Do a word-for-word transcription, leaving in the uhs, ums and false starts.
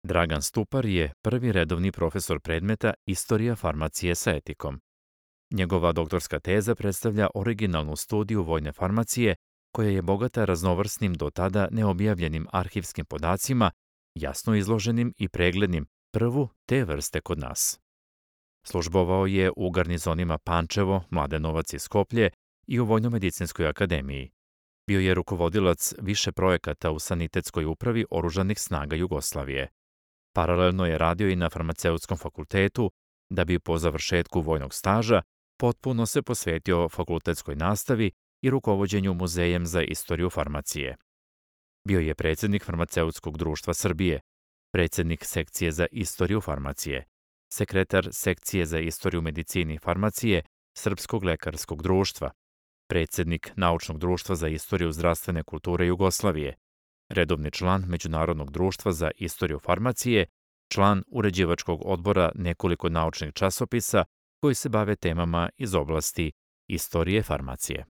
Dragan Stupar je prvi redovni profesor predmeta Istorija farmacije sa etikom. Njegova doktorska teza predstavlja originalnu studiju vojne farmacije koja je bogata raznovrsnim do tada neobjavljenim arhivskim podacima, jasno izloženim i preglednim, prvu te vrste kod nas. Službovao je u garnizonima Pančevo, Mladenovac i Skoplje i u Vojnomedicinskoj akademiji. Bio je rukovodilac više projekata u sanitetskoj upravi oružanih snaga Jugoslavije. Paralelno je radio i na farmaceutskom fakultetu, da bi po završetku vojnog staža potpuno se posvetio fakultetskoj nastavi i rukovođenju Muzejem za istoriju farmacije. Bio je predsjednik Farmaceutskog društva Srbije, predsjednik sekcije za istoriju farmacije, sekretar sekcije za istoriju medicine i farmacije Srpskog lekarskog društva, predsjednik Naučnog društva za istoriju zdravstvene kulture Jugoslavije, redovni član Međunarodnog društva za istoriju farmacije, član uređivačkog odbora nekoliko naučnih časopisa koji se bave temama iz oblasti istorije farmacije.